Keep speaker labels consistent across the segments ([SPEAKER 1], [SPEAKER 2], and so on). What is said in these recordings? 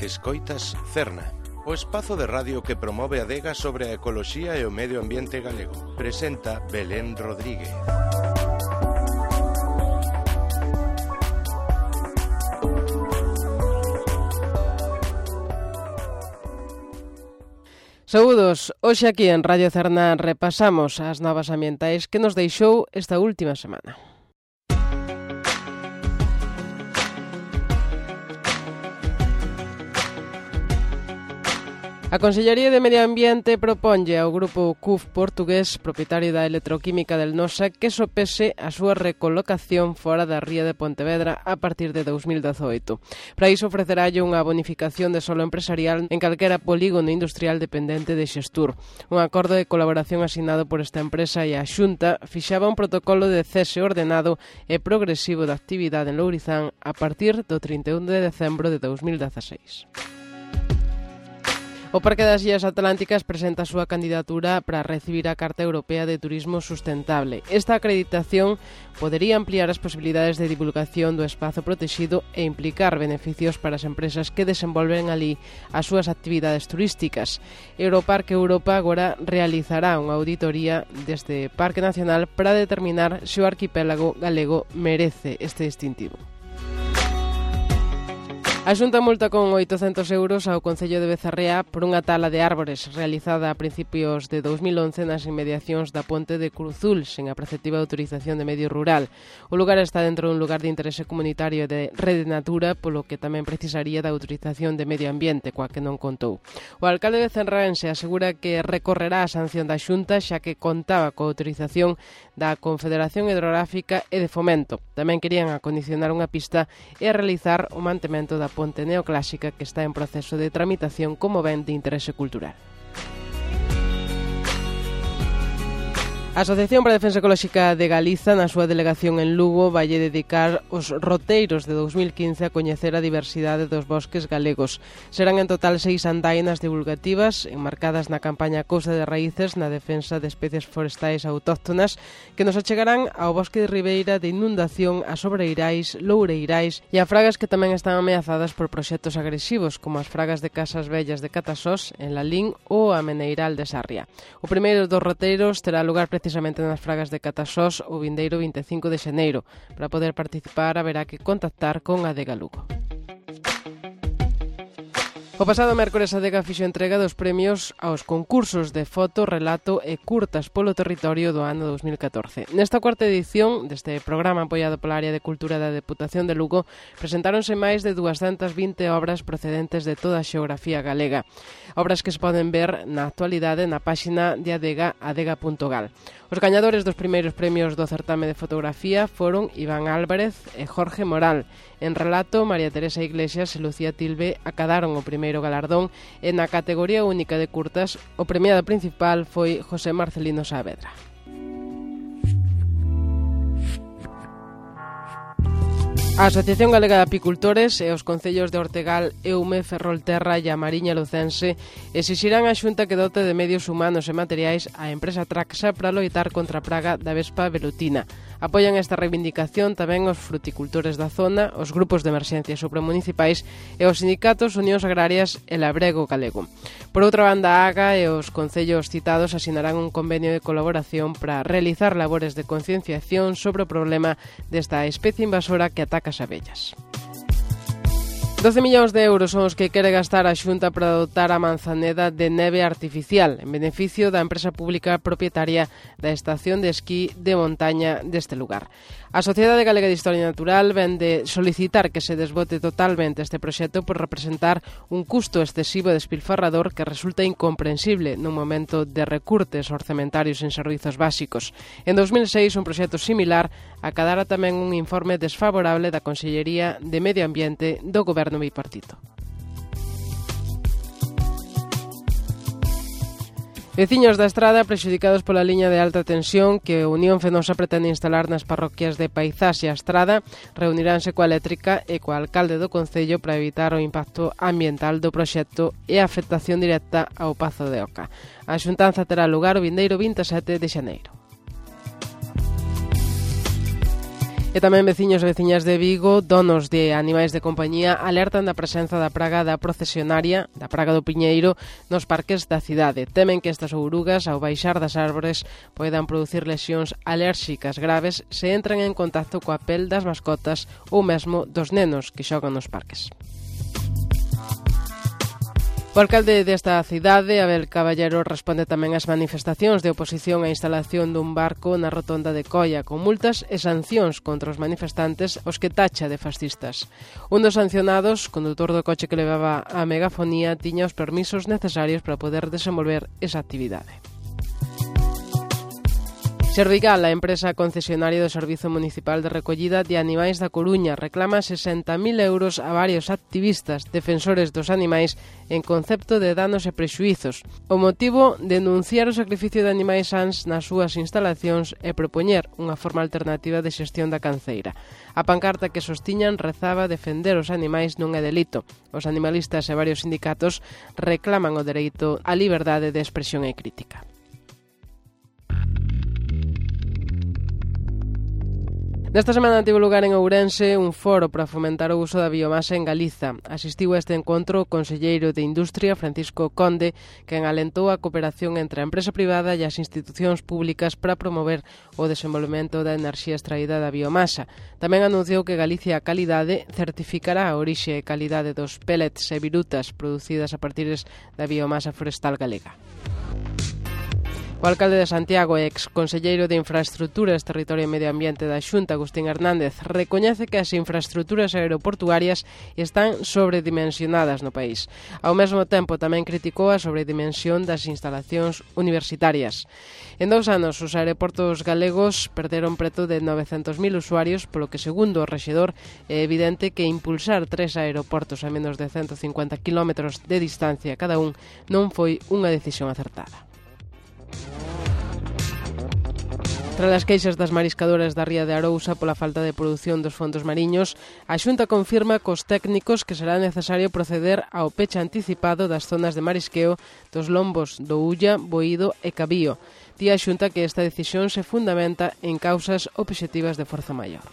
[SPEAKER 1] Escoitas Cerna, o espazo de radio que promove a adega sobre a ecoloxía e o medio ambiente galego. Presenta Belén Rodríguez.
[SPEAKER 2] Saúdos, hoxe aquí en Radio Cerna repasamos as novas ambientais que nos deixou esta última semana. A Consellería de Medio Ambiente proponlle ao grupo CUF portugués, propietario da electroquímica del Nosa, que sopese a súa recolocación fora da ría de Pontevedra a partir de 2018. Para iso ofrecerálle unha bonificación de solo empresarial en calquera polígono industrial dependente de Xestur. Un acordo de colaboración asinado por esta empresa e a Xunta fixaba un protocolo de cese ordenado e progresivo da actividade en Lourizán a partir do 31 de decembro de 2016. O Parque das Illas Atlánticas presenta a súa candidatura para recibir a Carta Europea de Turismo Sustentable. Esta acreditación podería ampliar as posibilidades de divulgación do espazo protegido e implicar beneficios para as empresas que desenvolven ali as súas actividades turísticas. Europarque Europa agora realizará unha auditoría deste Parque Nacional para determinar se o arquipélago galego merece este distintivo. A Xunta multa con 800 euros ao Concello de Bezarrea por unha tala de árbores realizada a principios de 2011 nas inmediacións da ponte de Cruzul, sen a preceptiva autorización de medio rural. O lugar está dentro dun lugar de interese comunitario de Rede Natura, polo que tamén precisaría da autorización de medio ambiente, coa que non contou. O alcalde bezarraense asegura que recorrerá a sanción da Xunta, xa que contaba coa autorización da Confederación Hidrográfica e de Fomento. Tamén querían acondicionar unha pista e realizar o mantemento da ponte neoclásica que está en proceso de tramitación como ben de interese cultural. A Asociación para a Defensa Ecolóxica de Galiza, na súa delegación en Lugo, valle dedicar os roteiros de 2015 a coñecer a diversidade dos bosques galegos. Serán en total 6 andainas divulgativas, enmarcadas na campaña Cousa de Raíces na defensa de especies forestais autóctonas, que nos achegarán ao bosque de ribeira de inundación, a sobreirais, loureirais e a fragas que tamén están ameazadas por proxectos agresivos, como as fragas de Casas Vellas de Catasós, en Lalín, ou a Meneiral de Sarria. O primeiro dos roteiros terá lugar precisamente nas fragas de Catasós o vindeiro 25 de xaneiro. Para poder participar haberá que contactar con a Adega Lugo. O pasado mércores a Adega fixo entrega dos premios aos concursos de foto, relato e curtas polo territorio do ano 2014. Nesta cuarta edición deste programa apoiado pola Área de Cultura da Deputación de Lugo presentáronse máis de 220 obras procedentes de toda a xeografía galega. Obras que se poden ver na actualidade na páxina de Adega, adega.gal. Os gañadores dos primeiros premios do certame de fotografía foron Iván Álvarez e Jorge Moral. En relato, María Teresa Iglesias e Lucía Tilbe acadaron o primeiro galardón e na categoría única de curtas o premiado principal foi José Marcelino Saavedra. A Asociación Galega de Apicultores e os concellos de Ortegal, Eume, Ferrolterra e a Mariña Lucense exixirán a Xunta que dote de medios humanos e materiais a empresa Traxa para loitar contra a praga da vespa velutina. Apoian esta reivindicación tamén os fruticultores da zona, os grupos de emerxencia supramunicipais e os sindicatos Unións Agrarias e Labrego Galego. Por outra banda, a AGA e os concellos citados asinarán un convenio de colaboración para realizar labores de concienciación sobre o problema desta especie invasora que ataca as abellas. 12 millóns de euros son os que quere gastar a Xunta para dotar a Manzaneda de neve artificial en beneficio da empresa pública propietaria da estación de esquí de montaña deste lugar. A Sociedade Galega de Historia Natural ven de solicitar que se desbote totalmente este proxecto por representar un custo excesivo e despilfarrador que resulta incomprensible nun momento de recurtes orzamentarios en servizos básicos. En 2006, un proxecto similar acadara tamén un informe desfavorable da Consellería de Medio Ambiente do Goberno bipartito. Veciños da Estrada prexudicados pola liña de alta tensión que Unión Fenosa pretende instalar nas parroquias de Paizás e a Estrada reuniránse coa eléctrica e coa alcalde do concello para evitar o impacto ambiental do proxecto e a afectación directa ao Pazo de Oca. A xuntanza terá lugar o vindeiro 27 de xaneiro. E tamén veciños e veciñas de Vigo, donos de animais de compañía, alertan da presenza da praga da procesionaria, da praga do piñeiro, nos parques da cidade. Temen que estas ourugas, ao baixar das árbores, poidan producir lesións alérxicas graves se entran en contacto coa pel das mascotas ou mesmo dos nenos que xogan nos parques. O alcalde desta cidade, Abel Caballero, responde tamén ás manifestacións de oposición á instalación dun barco na rotonda de Coia, con multas e sancións contra os manifestantes, os que tacha de fascistas. Un dos sancionados, condutor do coche que levaba a megafonía, tiña os permisos necesarios para poder desenvolver esa actividade. Servigal, a empresa concesionaria do Servizo Municipal de Recollida de Animais da Coruña, reclama 60.000 euros a varios activistas defensores dos animais en concepto de danos e prexuizos. O motivo, denunciar o sacrificio de animais sans nas súas instalacións e propoñer unha forma alternativa de xestión da canceira. A pancarta que sostiñan rezaba defender os animais non é delito. Os animalistas e varios sindicatos reclaman o dereito á liberdade de expresión e crítica. Nesta semana tivo lugar en Ourense un foro para fomentar o uso da biomasa en Galiza. Asistiu a este encontro o conselleiro de Industria, Francisco Conde, quen alentou a cooperación entre a empresa privada e as institucións públicas para promover o desenvolvemento da enerxía extraída da biomasa. Tamén anunciou que Galicia Calidade certificará a orixe e calidade dos pellets e virutas producidas a partir da biomasa forestal galega. O alcalde de Santiago e ex-conselleiro de Infraestruturas, Territorio e Medio Ambiente da Xunta, Agustín Hernández, recoñece que as infraestruturas aeroportuarias están sobredimensionadas no país. Ao mesmo tempo, tamén criticou a sobredimensión das instalacións universitarias. En 2 anos, os aeroportos galegos perderon preto de 900.000 usuarios, polo que, segundo o rexedor, é evidente que impulsar 3 aeroportos a menos de 150 km de distancia cada un non foi unha decisión acertada. Tras as queixas das mariscadoras da ría de Arousa pola falta de produción dos fondos mariños, a Xunta confirma cos técnicos que será necesario proceder ao peche anticipado das zonas de marisqueo dos lombos do Ulla, Boído e Cabío. Di a Xunta que esta decisión se fundamenta en causas obxectivas de forza maior.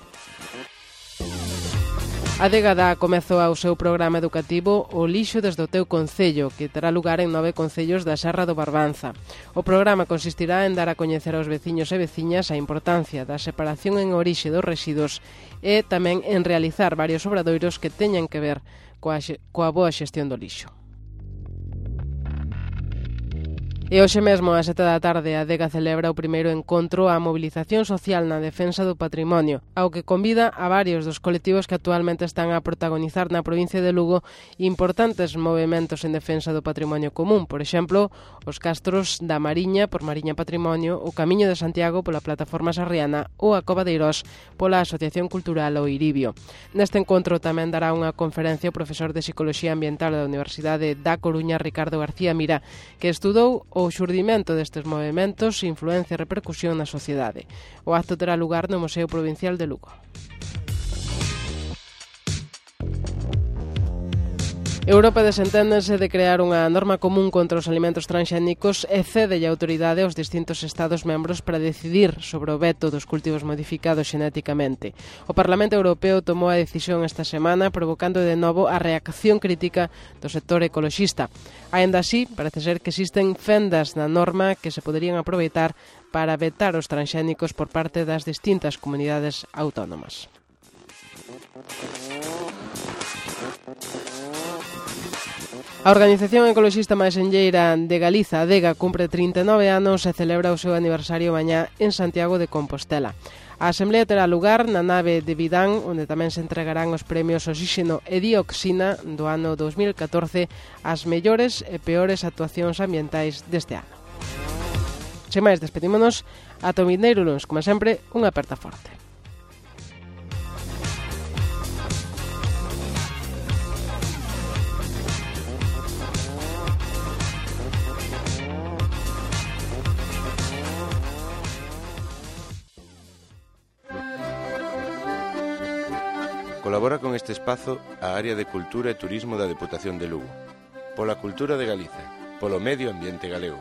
[SPEAKER 2] A Adega dá comezo ao seu programa educativo O lixo desde o teu concello, que terá lugar en 9 concellos da Serra do Barbanza. O programa consistirá en dar a coñecer aos veciños e veciñas a importancia da separación en orixe dos residuos e tamén en realizar varios obradoiros que teñan que ver coa boa xestión do lixo. E hoxe mesmo, ás 7 da tarde, a Adega celebra o primeiro encontro á mobilización social na defensa do patrimonio, ao que convida a varios dos colectivos que actualmente están a protagonizar na provincia de Lugo importantes movementos en defensa do patrimonio común, por exemplo, os castros da Mariña por Mariña Patrimonio, o Camiño de Santiago pola Plataforma Sarriana ou a Cova de Eirós pola Asociación Cultural O Iribio. Neste encontro tamén dará unha conferencia o profesor de Psicoloxía Ambiental da Universidade da Coruña, Ricardo García Mira, que estudou o xurdimento destes movementos, influencia e repercusión na sociedade. O acto terá lugar no Museo Provincial de Lugo. Europa desenténdese de crear unha norma común contra os alimentos transxénicos e cede a autoridade aos distintos Estados membros para decidir sobre o veto dos cultivos modificados xenéticamente. O Parlamento Europeo tomou a decisión esta semana, provocando de novo a reacción crítica do sector ecoloxista. Aínda así, parece ser que existen fendas na norma que se poderían aproveitar para vetar os transxénicos por parte das distintas comunidades autónomas. A organización ecoloxista máis enlleira de Galiza, Adega, cumpre 39 anos e celebra o seu aniversario mañá en Santiago de Compostela. A asemblea terá lugar na nave de Vidán, onde tamén se entregarán os premios Oxíxeno e Dioxina do ano 2014 ás mellores e peores actuacións ambientais deste ano. Sen máis, despedímonos ata o vindeiro luns, como sempre, unha aperta forte.
[SPEAKER 1] Colabora con este espazo a Área de Cultura e Turismo da Deputación de Lugo. Pola cultura de Galiza, polo medio ambiente galego.